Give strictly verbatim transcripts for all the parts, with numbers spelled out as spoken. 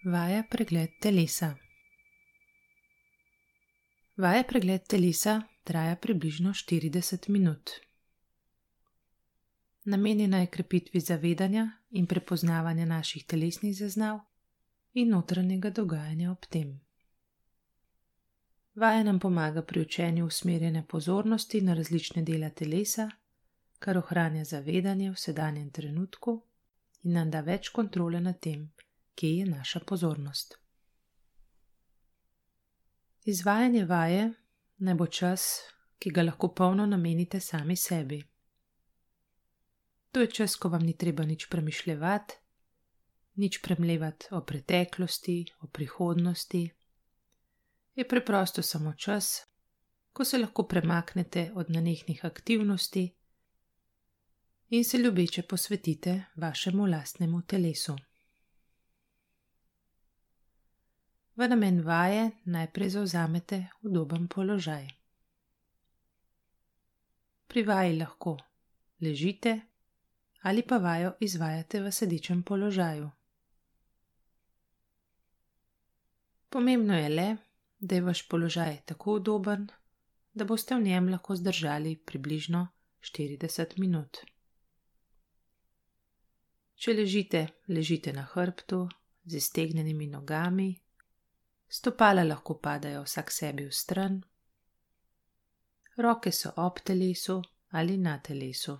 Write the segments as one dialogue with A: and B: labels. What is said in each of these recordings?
A: Vaja pregled telesa. Vaja pregled telesa traja približno štirideset minut. Namenjena je krepitvi zavedanja in prepoznavanja naših telesnih zaznav in notranjega dogajanja ob tem. Vaja nam pomaga pri učenju usmerjanja pozornosti na različne dele telesa, kar ohranja zavedanje v sedanjem trenutku in nam da več kontrole nad tem, kje je naša pozornost. Izvajanje vaje naj bo čas, ki ga lahko polno namenite sami sebi. To je čas, ko vam ni treba nič premišljevati, nič premlevati o preteklosti, o prihodnosti. Je preprosto samo čas, ko se lahko premaknete od nenehnih aktivnosti in se ljubeče posvetite vašemu lastnemu telesu. V namen vaje najprej zavzamete udoben položaj. Pri vaji lahko ležite ali pa vajo izvajate v sedečem položaju. Pomembno je le, da je vaš položaj tako udoben, da boste v njem lahko zdržali približno štirideset minut. Če ležite, ležite na hrbtu z iztegnjenimi nogami, stopala lahko padajo vsak sebi v stran, roke so ob telesu ali na telesu.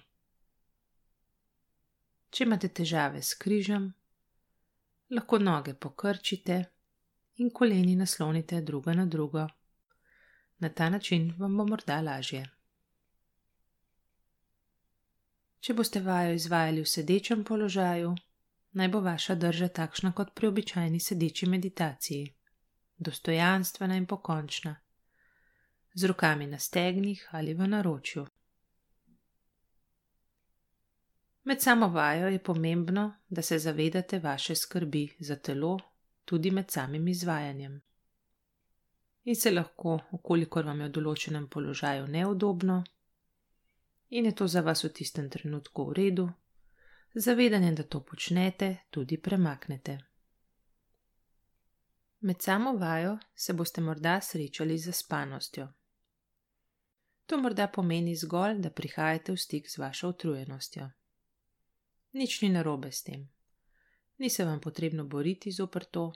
A: Če imate težave s križem, lahko noge pokrčite in koleni naslonite druga na drugo. Na ta način vam bo morda lažje. Če boste vajo izvajali v sedečem položaju, naj bo vaša drža takšna kot pri običajni sedeči meditaciji, dostojanstvena in pokončna, z rokami na stegnih ali v naročju. Med samo vajo je pomembno, da se zavedate vaše skrbi za telo tudi med samim izvajanjem. In se lahko, ukolikor vam je v določenem položaju neudobno in je to za vas v tistem trenutku v redu, z zavedanjem, da to počnete, tudi premaknete. Med samo vajo se boste morda srečali z zaspanostjo. To morda pomeni zgolj, da prihajate v stik z vašo utrujenostjo. Nič ni narobe s tem. Ni se vam potrebno boriti zoper to,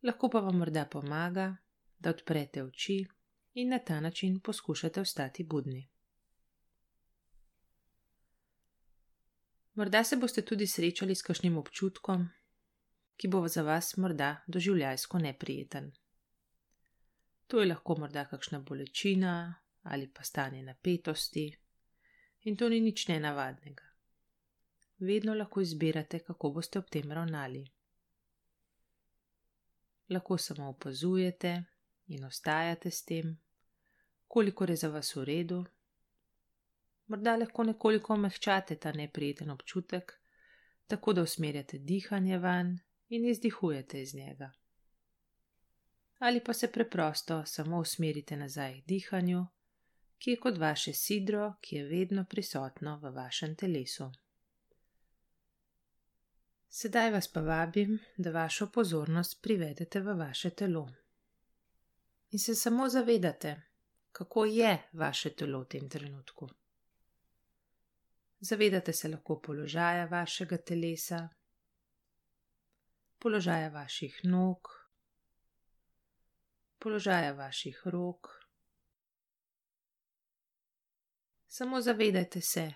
A: lahko pa vam morda pomaga, da odprete oči in na ta način poskušate ostati budni. Morda se boste tudi srečali s kakšnim občutkom, ki bo za vas morda doživljajsko neprijeten. To je lahko morda kakšna bolečina ali pa stanje napetosti in to ni nič nenavadnega. Vedno lahko izbirate, kako boste ob tem ravnali. Lahko samo opazujete in ostajate s tem, kolikor je za vas v redu. Morda lahko nekoliko omehčate ta neprijeten občutek, tako da usmerjate dihanje vanj in izdihujete iz njega. Ali pa se preprosto samo usmerite nazaj k dihanju, ki je kot vaše sidro, ki je vedno prisotno v vašem telesu. Sedaj vas pa vabim, da vašo pozornost privedete v vaše telo. In se samo zavedate, kako je vaše telo v tem trenutku. Zavedate se lahko položaja vašega telesa, položaja vaših nog, položaja vaših rok. Samo zavedajte se,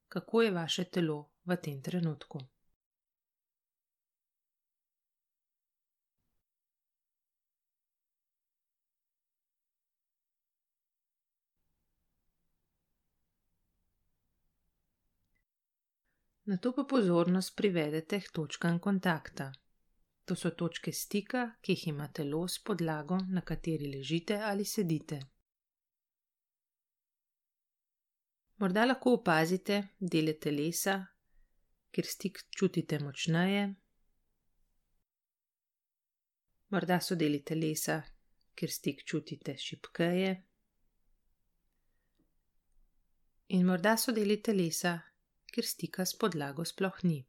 A: kako je vaše telo v tem trenutku. Nato pa pozornost privedete k točkam kontakta. To so točke stika, ki jih ima telo s podlago, na kateri ležite ali sedite. Morda lahko opazite dele telesa, kjer stik čutite močneje. Morda so deli telesa, kjer stik čutite šibkeje. In morda so deli telesa, kjer stika s podlago sploh ni.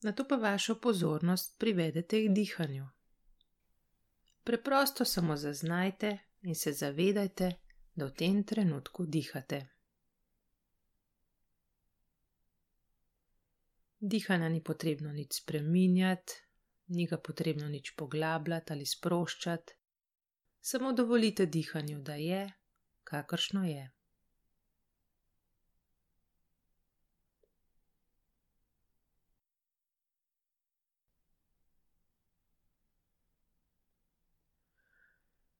A: Nato pa vašo pozornost privedete k dihanju. Preprosto samo zaznajte in se zavedajte, da v tem trenutku dihate. Dihanja ni potrebno nič spreminjati, ni ga potrebno nič poglabljati ali sproščati, samo dovolite dihanju, da je, kakršno je.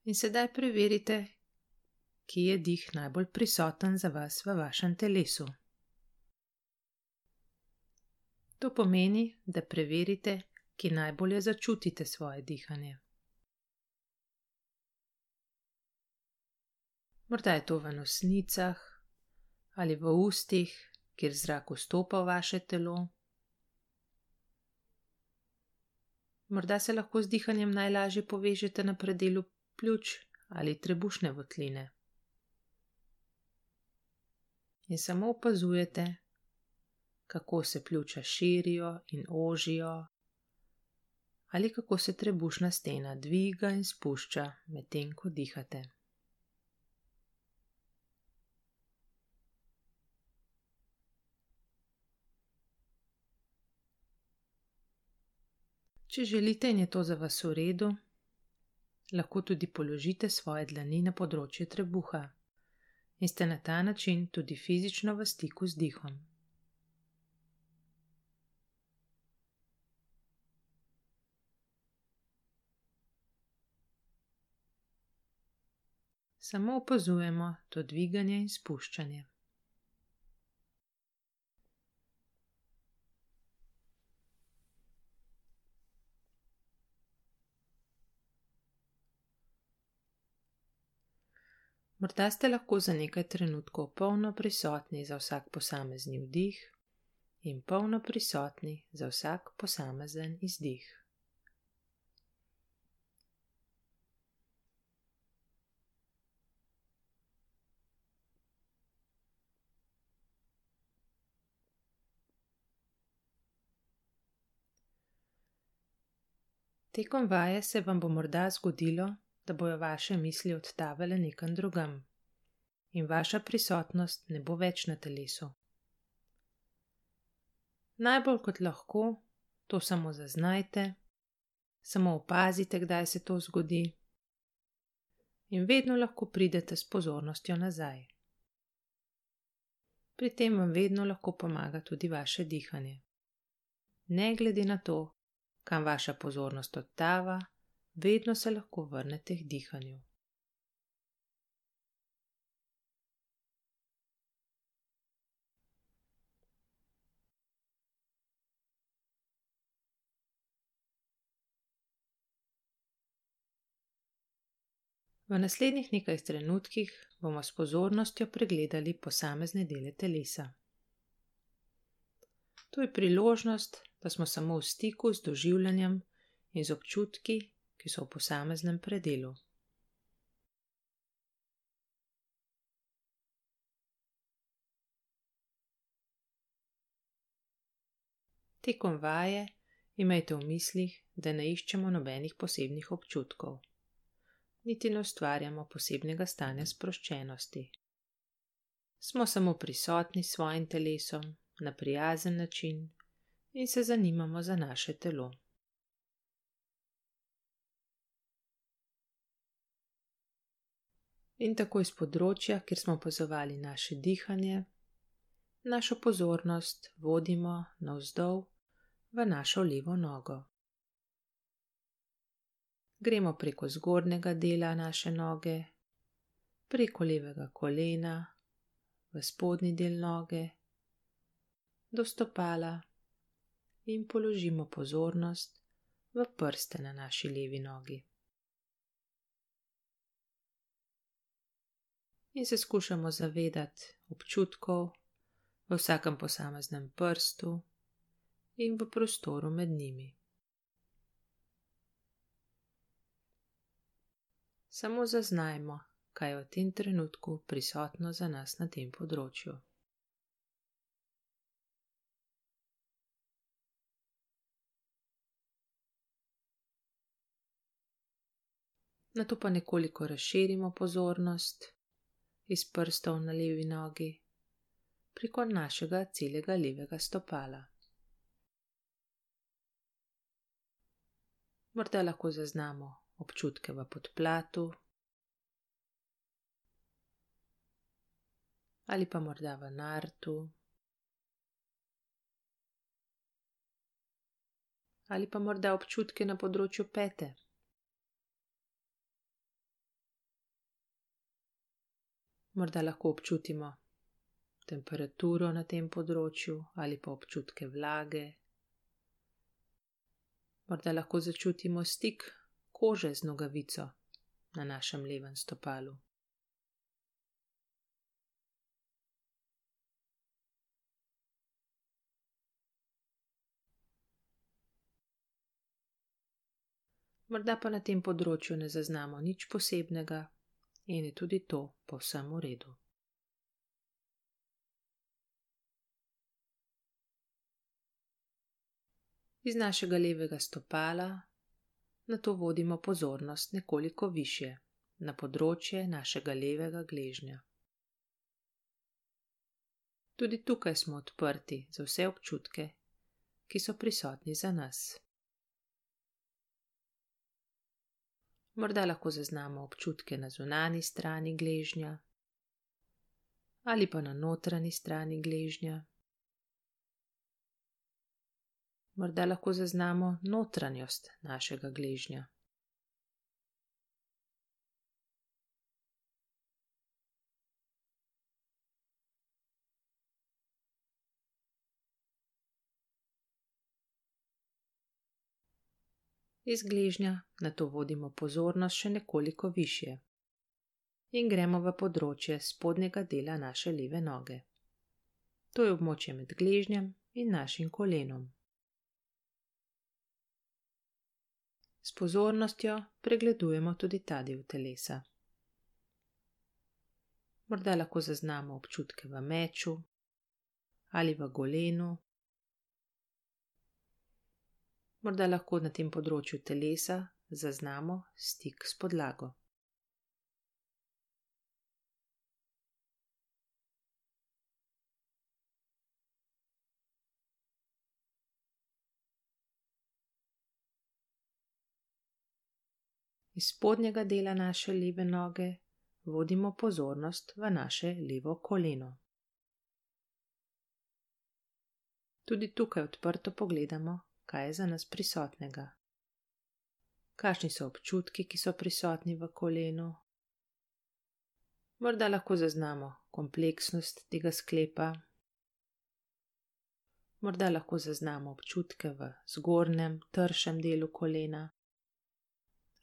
A: In sedaj preverite, kje je dih najbolj prisoten za vas v vašem telesu. To pomeni, da preverite, kje najbolje začutite svoje dihanje. Morda je to v nosnicah ali v ustih, kjer zrak vstopa v vaše telo. Morda se lahko z dihanjem najlažje povežete na predelu pljuč ali trebušne votline. In samo opazujete, kako se pljuča širijo in ožijo, ali kako se trebušna stena dviga in spušča medtem, ko dihate. Če želite in je to za vas v redu, lahko tudi položite svoje dlani na področje trebuha in ste na ta način tudi fizično v stiku z dihom. Samo opazujemo to dviganje in spuščanje. Morda ste lahko za nekaj trenutkov polno prisotni za vsak posamezni vdih in polno prisotni za vsak posamezen izdih. Tekom vaje se vam bo morda zgodilo, da bojo vaše misli odtavale nekam drugam in vaša prisotnost ne bo več na telesu. Najbolj kot lahko to samo zaznajte, samo opazite, kdaj se to zgodi in vedno lahko pridete s pozornostjo nazaj. Pri tem vam vedno lahko pomaga tudi vaše dihanje. Ne glede na to, kam vaša pozornost odtava, vedno se lahko vrnete k dihanju. V naslednjih nekaj trenutkih bomo s pozornostjo pregledali posamezne dele telesa. To je priložnost, da smo samo v stiku z doživljanjem in z občutki, ki so v posameznem predelu. Tekom vaje imejte v mislih, da ne iščemo nobenih posebnih občutkov, niti ne ustvarjamo posebnega stanja sproščenosti. Smo samo prisotni s svojim telesom na prijazen način in se zanimamo za naše telo. In tako iz področja, kjer smo opazovali naše dihanje, našo pozornost vodimo navzdol v našo levo nogo. Gremo preko zgornjega dela naše noge, preko levega kolena, v spodnji del noge, do stopala in položimo pozornost v prste na naši levi nogi. In se skušamo zavedati občutkov v vsakem posameznem prstu in v prostoru med njimi. Samo zaznajmo, kaj je v tem trenutku prisotno za nas na tem področju. Nato pa nekoliko razširimo pozornost iz prstov na levi nogi preko našega celega levega stopala. Morda lahko zaznamo občutke v podplatu ali pa morda v nartu ali pa morda občutke na področju pete. Morda lahko občutimo temperaturo na tem področju ali pa občutke vlage. Morda lahko začutimo stik kože z nogavico na našem levem stopalu. Morda pa na tem področju ne zaznamo nič posebnega in je tudi to povsem v redu. Iz našega levega stopala nato vodimo pozornost nekoliko višje, na področje našega levega gležnja. Tudi tukaj smo odprti za vse občutke, ki so prisotni za nas. Morda lahko zaznamo občutke na zunanji strani gležnja ali pa na notranji strani gležnja. Morda lahko zaznamo notranjost našega gležnja. Iz gležnja nato vodimo pozornost še nekoliko višje in gremo v področje spodnjega dela naše leve noge. To je območje med gležnjem in našim kolenom. S pozornostjo pregledujemo tudi ta del telesa. Morda lahko zaznamo občutke v meču ali v golenu. Morda lahko na tem področju telesa zaznamo stik s podlago. Iz spodnjega dela naše leve noge vodimo pozornost v naše levo koleno. Tudi tukaj odprto pogledamo, kaj je za nas prisotnega. Kakšni so občutki, ki so prisotni v kolenu? Morda lahko zaznamo kompleksnost tega sklepa. Morda lahko zaznamo občutke v zgornjem, tršem delu kolena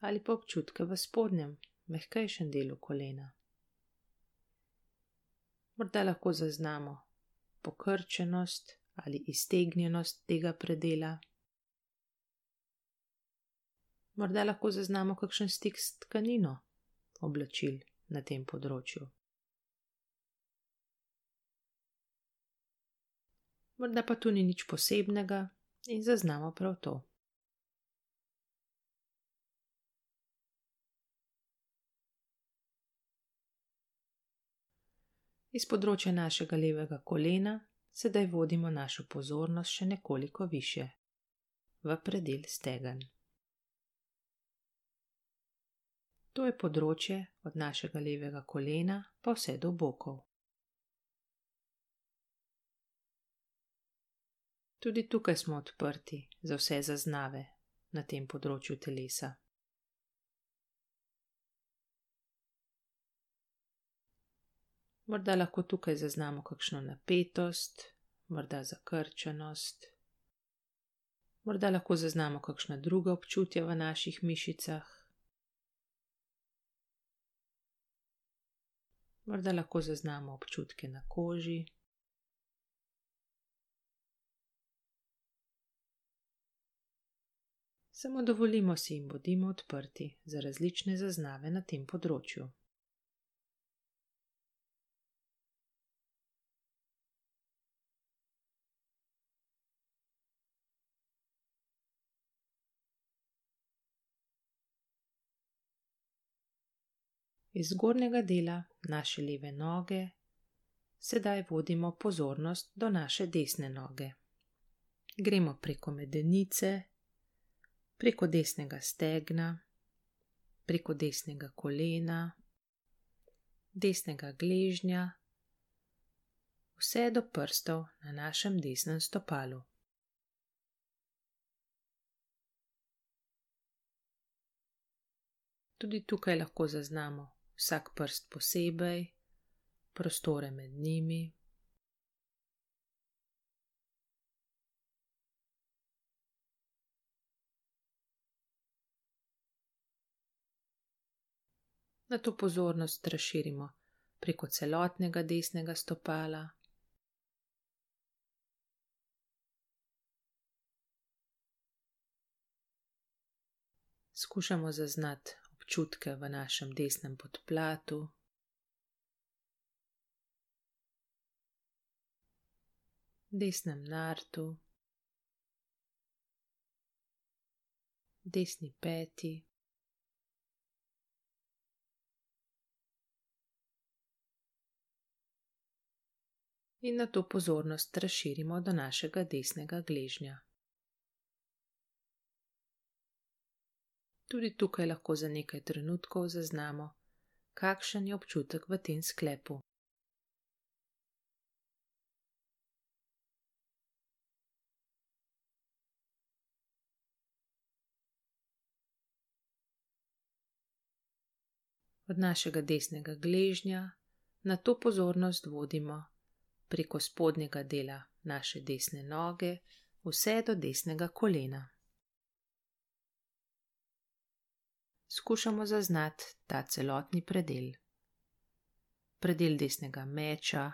A: ali pa občutke v spodnjem, mehkejšem delu kolena. Morda lahko zaznamo pokrčenost ali iztegnjenost tega predela. Morda lahko zaznamo kakšen stik s tkanino oblačil na tem področju. Morda pa tu ni nič posebnega in zaznamo prav to. Iz področja našega levega kolena sedaj vodimo našo pozornost še nekoliko višje, v predel stegen. To je področje od našega levega kolena pa vse do bokov. Tudi tukaj smo odprti za vse zaznave na tem področju telesa. Morda lahko tukaj zaznamo kakšno napetost, morda zakrčenost. Morda lahko zaznamo kakšna druga občutja v naših mišicah. Morda lahko zaznamo občutke na koži. Samo dovolimo si in bodimo odprti za različne zaznave na tem področju. Iz zgornjega dela naše leve noge sedaj vodimo pozornost do naše desne noge. Gremo preko medenice, preko desnega stegna, preko desnega kolena, desnega gležnja, vse do prstov na našem desnem stopalu. Tudi tukaj lahko zaznamo vsak prst posebej, prostore med njimi. Nato pozornost razširimo preko celotnega desnega stopala. Skušamo zaznati občutke v našem desnem podplatu. Desnem nartu, desni peti, in nato pozornost razširimo do našega desnega gležnja. Tudi tukaj lahko za nekaj trenutkov zaznamo, kakšen je občutek v tem sklepu. Od našega desnega gležnja nato pozornost vodimo preko spodnjega dela naše desne noge vse do desnega kolena. Skušamo zaznati ta celotni predel. Predel desnega meča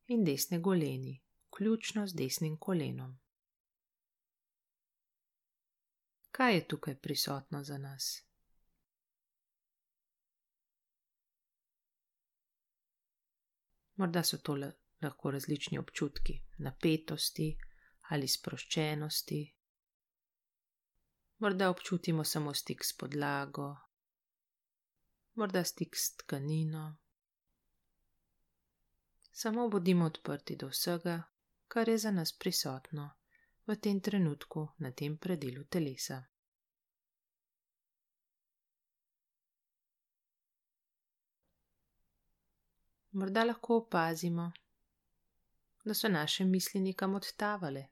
A: in desne goleni, vključno z desnim kolenom. Kaj je tukaj prisotno za nas? Morda so to lahko različni občutki napetosti ali sproščenosti. Morda občutimo samo stik s podlago, morda stik s tkanino. Samo bodimo odprti do vsega, kar je za nas prisotno v tem trenutku na tem predelu telesa. Morda lahko opazimo, da so naše misli nekam odtavale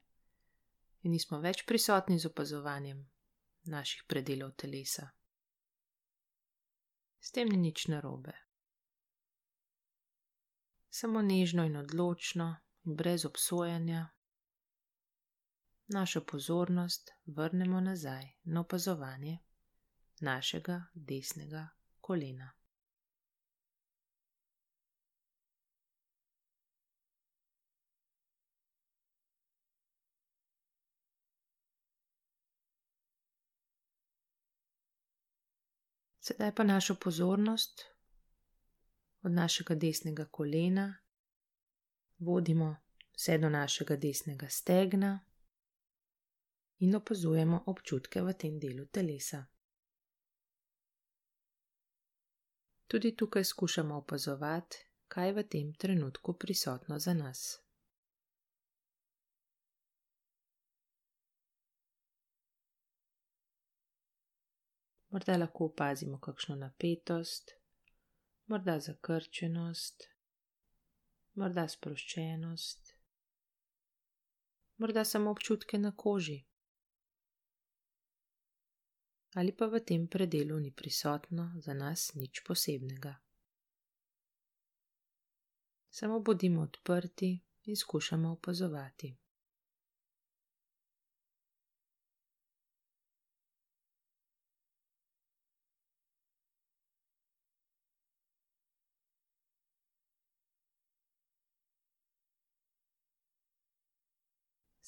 A: in nismo več prisotni z opazovanjem naših predelov telesa. S tem ni nič narobe. Samo nežno in odločno in brez obsojanja našo pozornost vrnemo nazaj na opazovanje našega desnega kolena. Sedaj pa našo pozornost od našega desnega kolena vodimo vse do našega desnega stegna in opazujemo občutke v tem delu telesa. Tudi tukaj skušamo opazovati, kaj je v tem trenutku prisotno za nas. Morda lahko opazimo kakšno napetost, morda zakrčenost, morda sproščenost, morda samo občutke na koži. Ali pa v tem predelu ni prisotno za nas nič posebnega. Samo bodimo odprti in skušamo opazovati.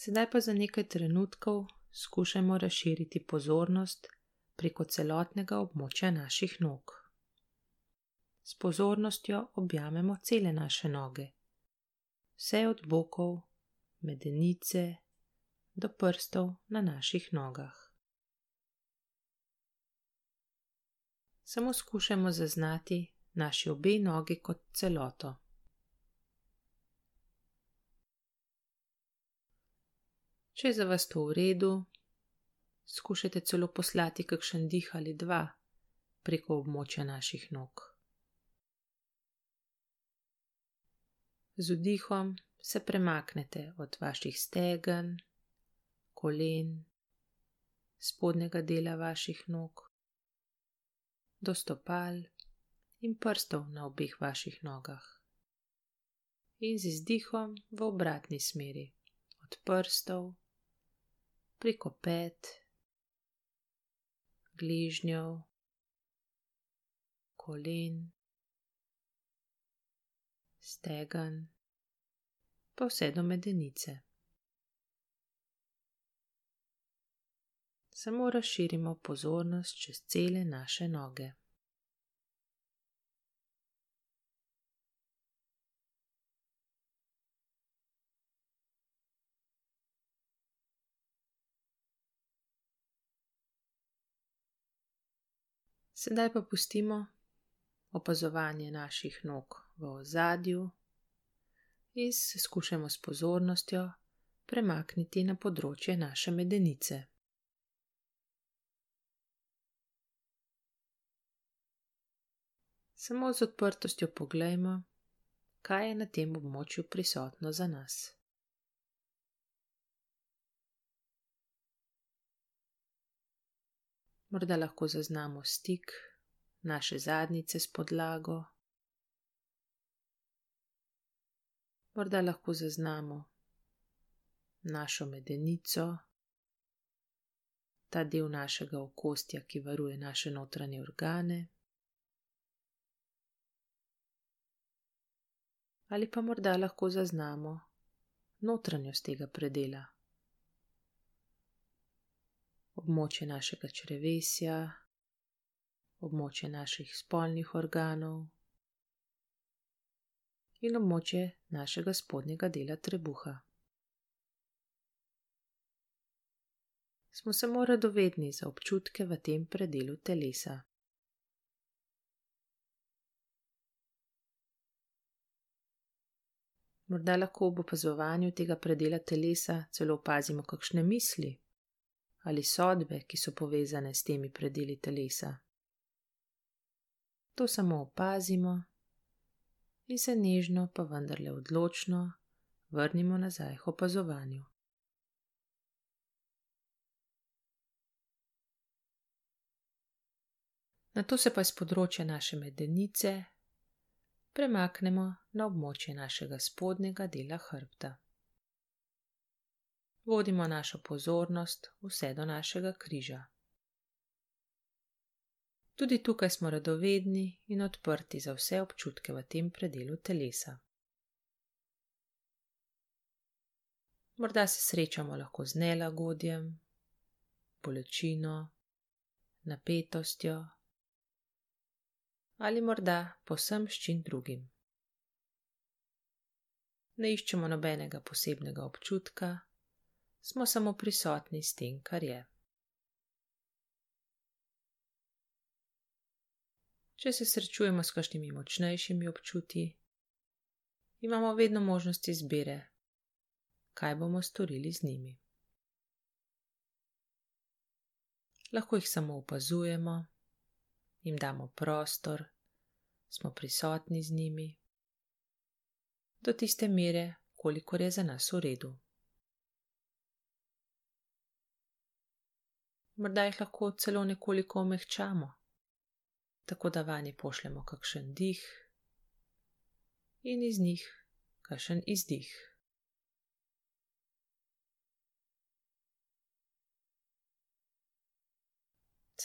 A: Sedaj pa za nekaj trenutkov skušajmo razširiti pozornost preko celotnega območja naših nog. S pozornostjo objamemo cele naše noge, vse od bokov, medenice do prstov na naših nogah. Samo skušajmo zaznati, naši obe nogi kot celoto. Če je za vas to v redu, skušajte celo poslati kakšen dih ali dva preko območja naših nog. Z vdihom se premaknete od vaših stegen, kolen, spodnjega dela vaših nog, do stopal in prstov na obeh vaših nogah. In z izdihom v obratni smeri, od prstov, preko pet, gležnjev, kolen, stegen, pa vse do medenice. Samo razširimo pozornost čez cele naše noge. Sedaj pa pustimo opazovanje naših nog v ozadju in se skušamo s pozornostjo premakniti na področje naše medenice. Samo z odprtostjo poglejmo, kaj je na tem območju prisotno za nas. Morda lahko zaznamo stik naše zadnjice s podlago. Morda lahko zaznamo našo medenico, ta del našega okostja, ki varuje naše notranje organe. Ali pa morda lahko zaznamo notranjost tega predela. Območje našega črevesja, območje naših spolnih organov in območje našega spodnjega dela trebuha. Smo samo radovedni za občutke v tem predelu telesa. Morda lahko ob opazovanju tega predela telesa celo opazimo kakšne misli ali sodbe, ki so povezane s temi predeli telesa. To samo opazimo in se nežno, pa vendarle odločno vrnimo nazaj k opazovanju. Nato se pa iz področja naše medenice premaknemo na območje našega spodnjega dela hrbta. Vodimo našo pozornost vse do našega križa. Tudi tukaj smo radovedni in odprti za vse občutke v tem predelu telesa. Morda se srečamo lahko z nelagodjem, bolečino, napetostjo ali morda povsem s čim drugim. Ne iščemo nobenega posebnega občutka, smo samo prisotni s tem, kar je. Če se srečujemo s kakšnimi močnejšimi občutji, imamo vedno možnost izbire, kaj bomo storili z njimi. Lahko jih samo opazujemo, jim damo prostor, smo prisotni z njimi, do tiste mere, kolikor je za nas v redu. Morda jih lahko celo nekoliko omehčamo, tako da vanje pošljemo kakšen dih in iz njih kakšen izdih.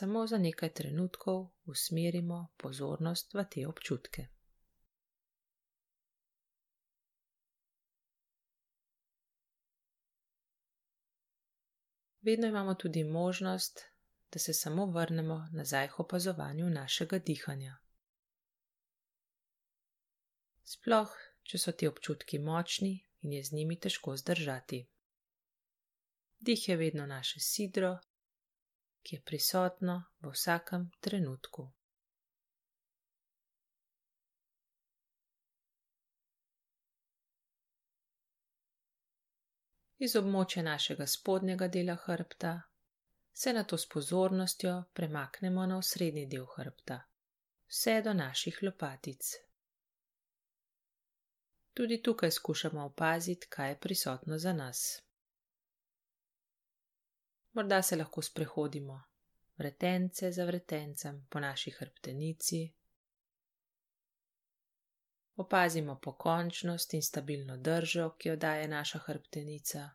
A: Samo za nekaj trenutkov usmerimo pozornost v te občutke. Vedno imamo tudi možnost, da se samo vrnemo nazaj k opazovanju našega dihanja. Sploh, če so ti občutki močni in je z njimi težko zdržati. Dih je vedno naše sidro, ki je prisotno v vsakem trenutku. Iz območja našega spodnjega dela hrbta se nato s pozornostjo premaknemo na osrednji del hrbta, vse do naših lopatic. Tudi tukaj skušamo opaziti, kaj je prisotno za nas. Morda se lahko sprehodimo vretence za vretencem po naši hrbtenici. Opazimo pokončnost in stabilno držo, ki jo daje naša hrbtenica.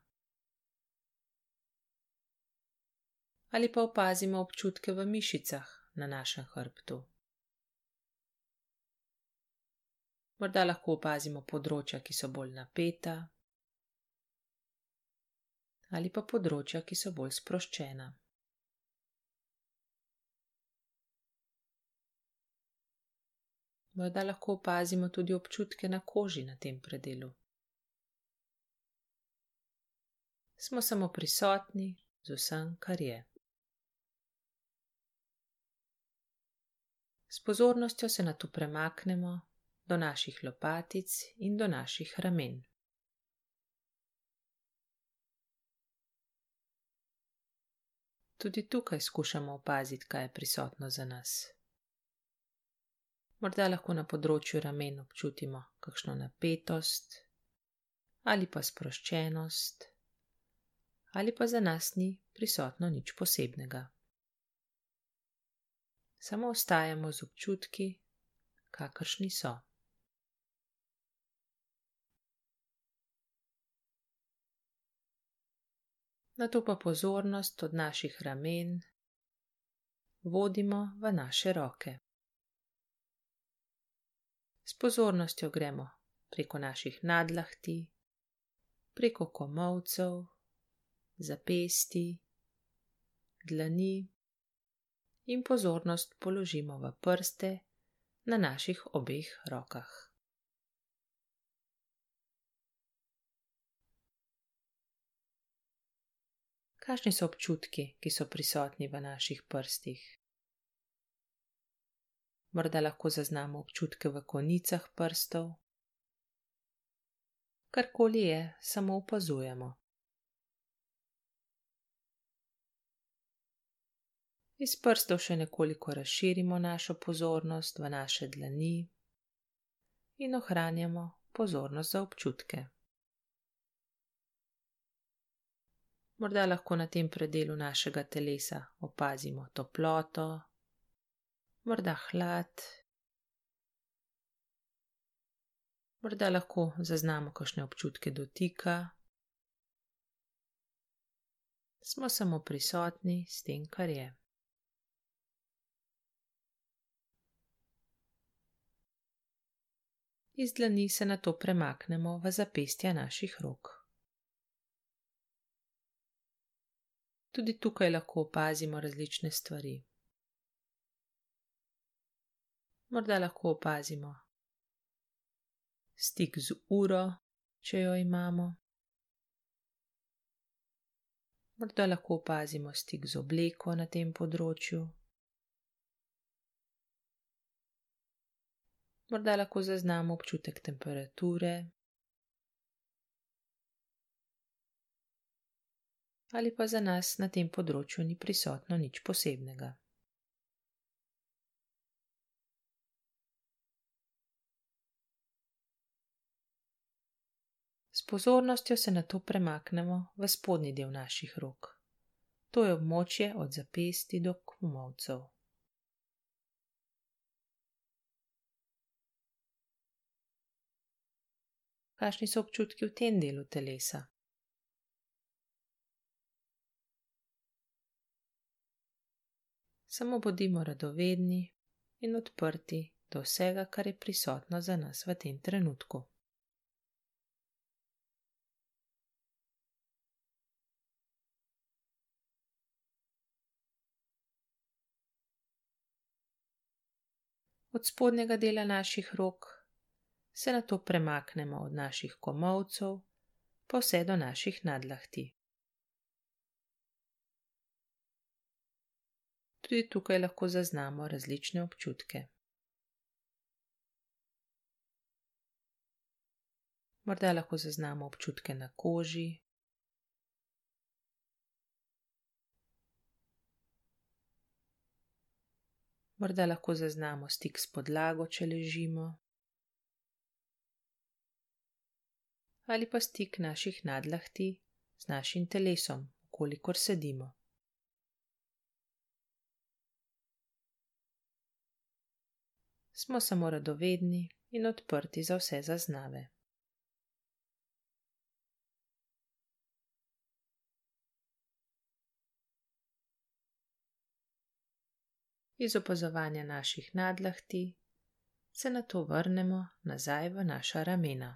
A: Ali pa opazimo občutke v mišicah na našem hrbtu. Morda lahko opazimo področja, ki so bolj napeta, ali pa področja, ki so bolj sproščena. Morda lahko opazimo tudi občutke na koži na tem predelu. Smo samo prisotni z vsem, kar je. S pozornostjo se nato premaknemo do naših lopatic in do naših ramen. Tudi tukaj skušamo opaziti, kaj je prisotno za nas. Morda lahko na področju ramen občutimo kakšno napetost ali pa sproščenost, ali pa za nas ni prisotno nič posebnega. Samo ostajamo z občutki, kakršni so. Nato pa pozornost od naših ramen vodimo v naše roke. S pozornostjo gremo preko naših nadlahti, preko komolcev, zapestij, dlani in pozornost položimo v prste na naših obeh rokah. Kakšni so občutki, ki so prisotni v naših prstih? Morda lahko zaznamo občutke v konicah prstov. Karkoli je, samo opazujemo. Iz prstov še nekoliko razširimo našo pozornost v naše dlani in ohranjamo pozornost za občutke. Morda lahko na tem predelu našega telesa opazimo toploto, morda hlad, morda lahko zaznamo kakšne občutke dotika. Smo samo prisotni s tem, kar je. Iz dlani se nato premaknemo v zapestja naših rok. Tudi tukaj lahko opazimo različne stvari. Morda lahko opazimo stik z uro, če jo imamo. Morda lahko opazimo stik z obleko na tem področju. Morda lahko zaznamo občutek temperature ali pa za nas na tem področju ni prisotno nič posebnega. S pozornostjo se nato premaknemo v spodnji del naših rok. To je območje od zapestij do komolcev. Kakšni so občutki v tem delu telesa? Samo bodimo radovedni in odprti do vsega, kar je prisotno za nas v tem trenutku. Od spodnjega dela naših rok se nato premaknemo od naših komolcev pa vse do naših nadlahti. Tudi tukaj lahko zaznamo različne občutke. Morda lahko zaznamo občutke na koži, Morda lahko zaznamo stik s podlago, če ležimo, ali pa stik naših nadlahti z našim telesom, kolikor sedimo. Smo samo radovedni in odprti za vse zaznave. Iz opazovanja naših nadlahti se nato vrnemo nazaj v naša ramena.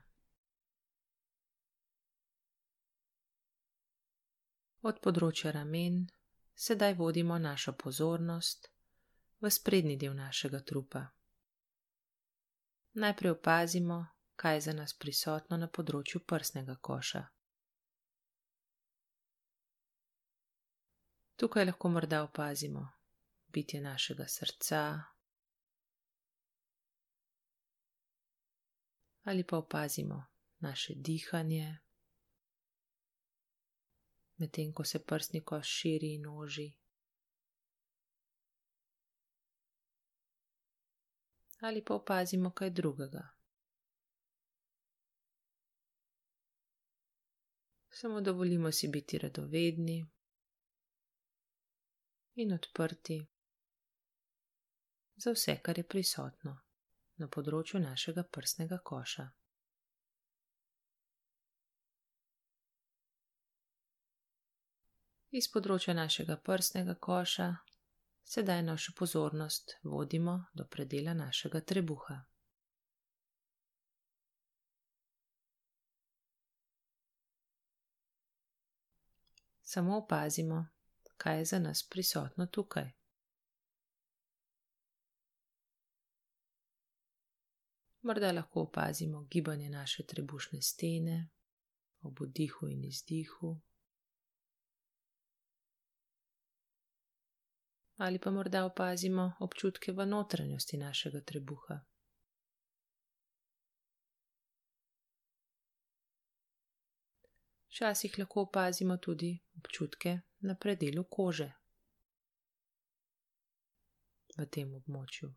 A: Od področja ramen sedaj vodimo našo pozornost v sprednji del našega trupa. Najprej opazimo, kaj je za nas prisotno na področju prsnega koša. Tukaj lahko morda opazimo bitje našega srca ali pa opazimo naše dihanje, medtem ko se prsni koš širi in oži. Ali pa opazimo kaj drugega. Samo dovolimo si biti radovedni in odprti za vse, kar je prisotno na področju našega prsnega koša. Iz področja našega prsnega koša sedaj našo pozornost vodimo do predela našega trebuha. Samo opazimo, kaj je za nas prisotno tukaj. Morda lahko opazimo gibanje naše trebušne stene ob vdihu in izdihu. Ali pa morda opazimo občutke v notranjosti našega trebuha. Včasih lahko opazimo tudi občutke na predelu kože v tem območju.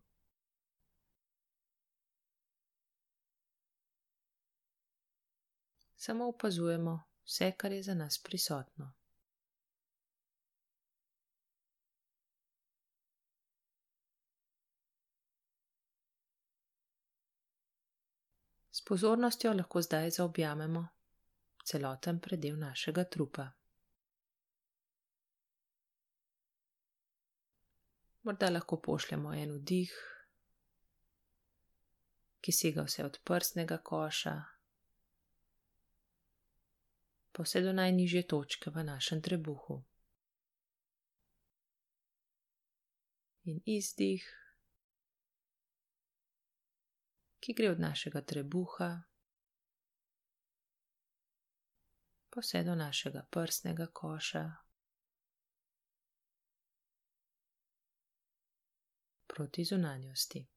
A: Samo opazujemo vse, kar je za nas prisotno. S pozornostjo lahko zdaj zaobjamemo celoten predel našega trupa. Morda lahko pošljemo en vdih, ki sega vse od prsnega koša, pa vse do najnižje točke v našem trebuhu. In izdih, ki gre od našega trebuha pa vse do našega prsnega koša, proti zunanjosti.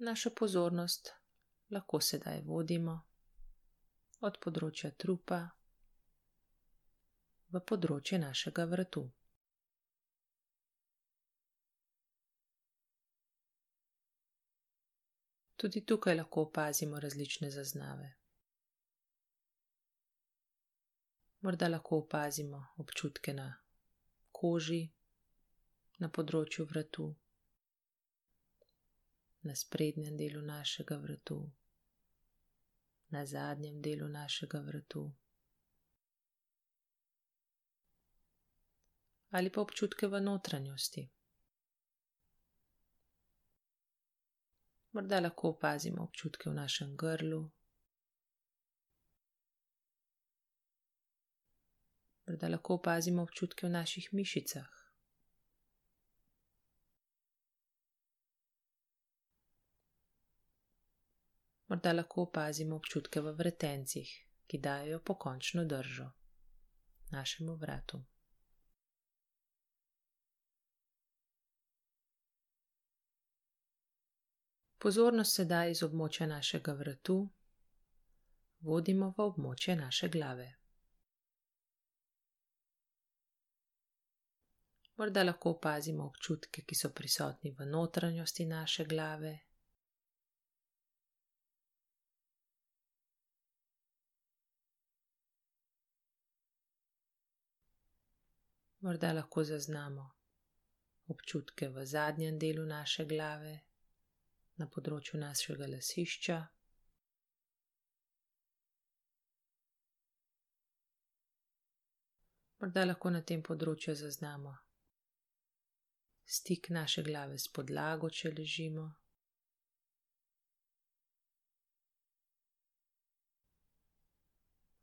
A: Našo pozornost lahko sedaj vodimo od področja trupa v področje našega vratu. Tudi tukaj lahko opazimo različne zaznave. Morda lahko opazimo občutke na koži, na področju vratu, na sprednjem delu našega vratu, na zadnjem delu našega vratu, ali pa občutke v notranjosti. Morda lahko opazimo občutke v našem grlu, morda lahko opazimo občutke v naših mišicah. Morda lahko opazimo občutke v vretencih, ki dajejo pokončno držo našemu vratu. Pozornost sedaj iz območja našega vratu vodimo v območje naše glave. Morda lahko opazimo občutke, ki so prisotni v notranjosti naše glave. Morda lahko zaznamo občutke v zadnjem delu naše glave, na področju našega lasišča. Morda lahko na tem področju zaznamo stik naše glave s podlago, če ležimo.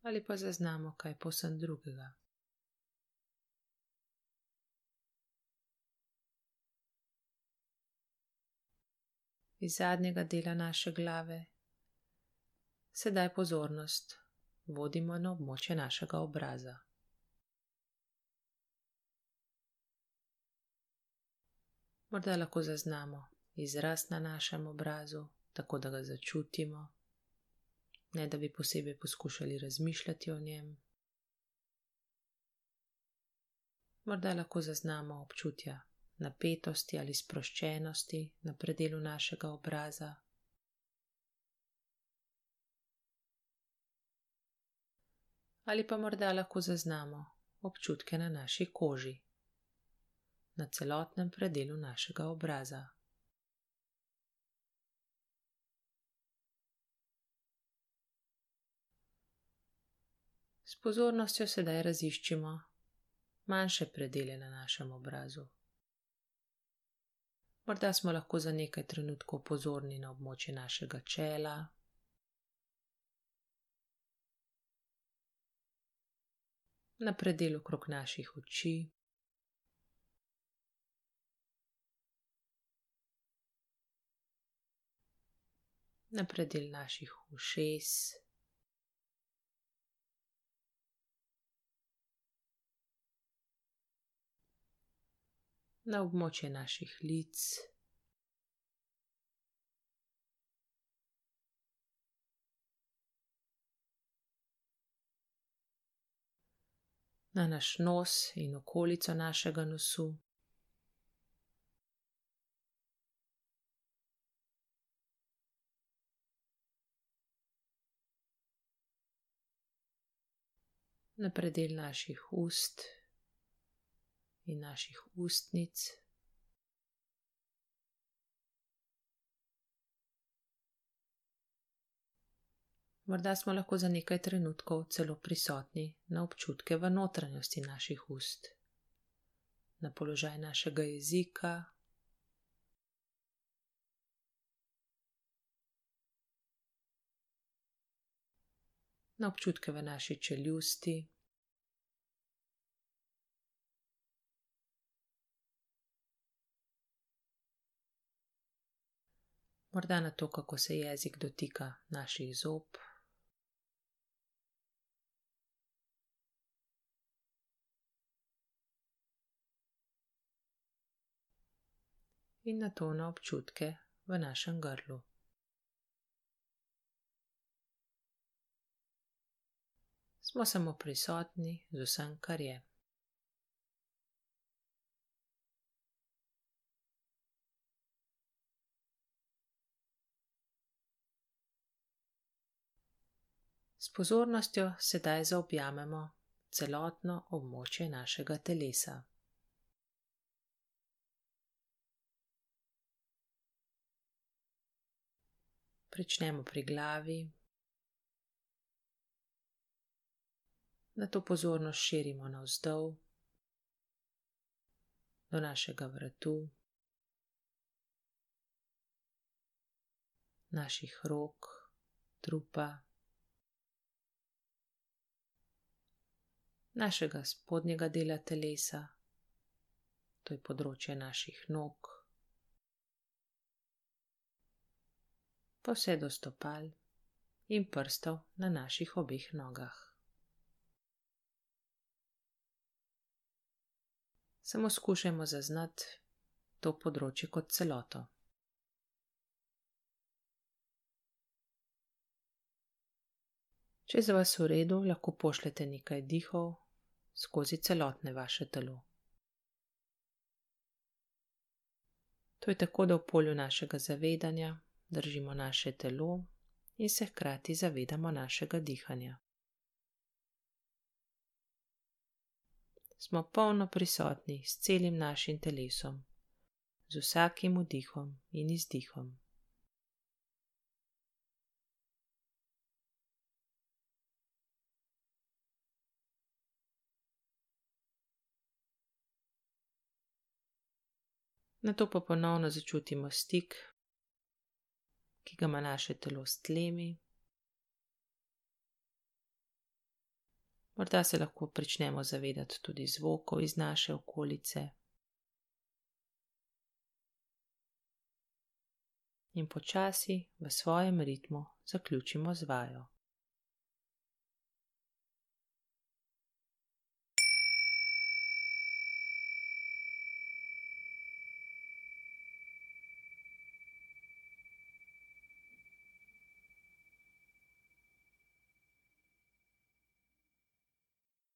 A: Ali pa zaznamo kaj povsem drugega. Iz zadnjega dela naše glave sedaj pozornost vodimo na območje našega obraza. Morda lahko zaznamo izraz na našem obrazu, tako da ga začutimo, ne da bi posebej poskušali razmišljati o njem. Morda lahko zaznamo občutja napetosti ali sproščenosti na predelu našega obraza. Ali pa morda lahko zaznamo občutke na naši koži, na celotnem predelu našega obraza. S pozornostjo sedaj raziščimo manjše predele na našem obrazu. Morda smo lahko za nekaj trenutkov pozorni na območje našega čela, na predel okrog naših oči, na predel naših ušes, na območje naših lic, na naš nos in okolico našega nosu, na predel naših ust in naših ustnic, morda smo lahko za nekaj trenutkov celo prisotni na občutke v notranjosti naših ust, na položaj našega jezika, na občutke v naši čeljusti, morda na to, kako se jezik dotika naših zob. In na to na občutke v našem grlu. Smo samo prisotni z vsem, kar je. S pozornostjo sedaj zaobjamemo celotno območje našega telesa. Pričnemo pri glavi, nato pozornost širimo navzdol do našega vratu, naših rok, trupa, našega spodnjega dela telesa, to je področje naših nog, pa vse do stopal in prstov na naših obeh nogah. Samo skušajmo zaznati to področje kot celoto. Če je za vas v redu, lahko pošljete nekaj dihov skozi celotne vaše telo. To je tako, da v polju našega zavedanja držimo naše telo in se hkrati zavedamo našega dihanja. Smo polno prisotni s celim našim telesom, z vsakim vdihom in izdihom. Nato pa ponovno začutimo stik, ki ga ima naše telo s tlemi. Morda se lahko pričnemo zavedati tudi zvokov iz naše okolice. In počasi v svojem ritmu zaključimo z vajo.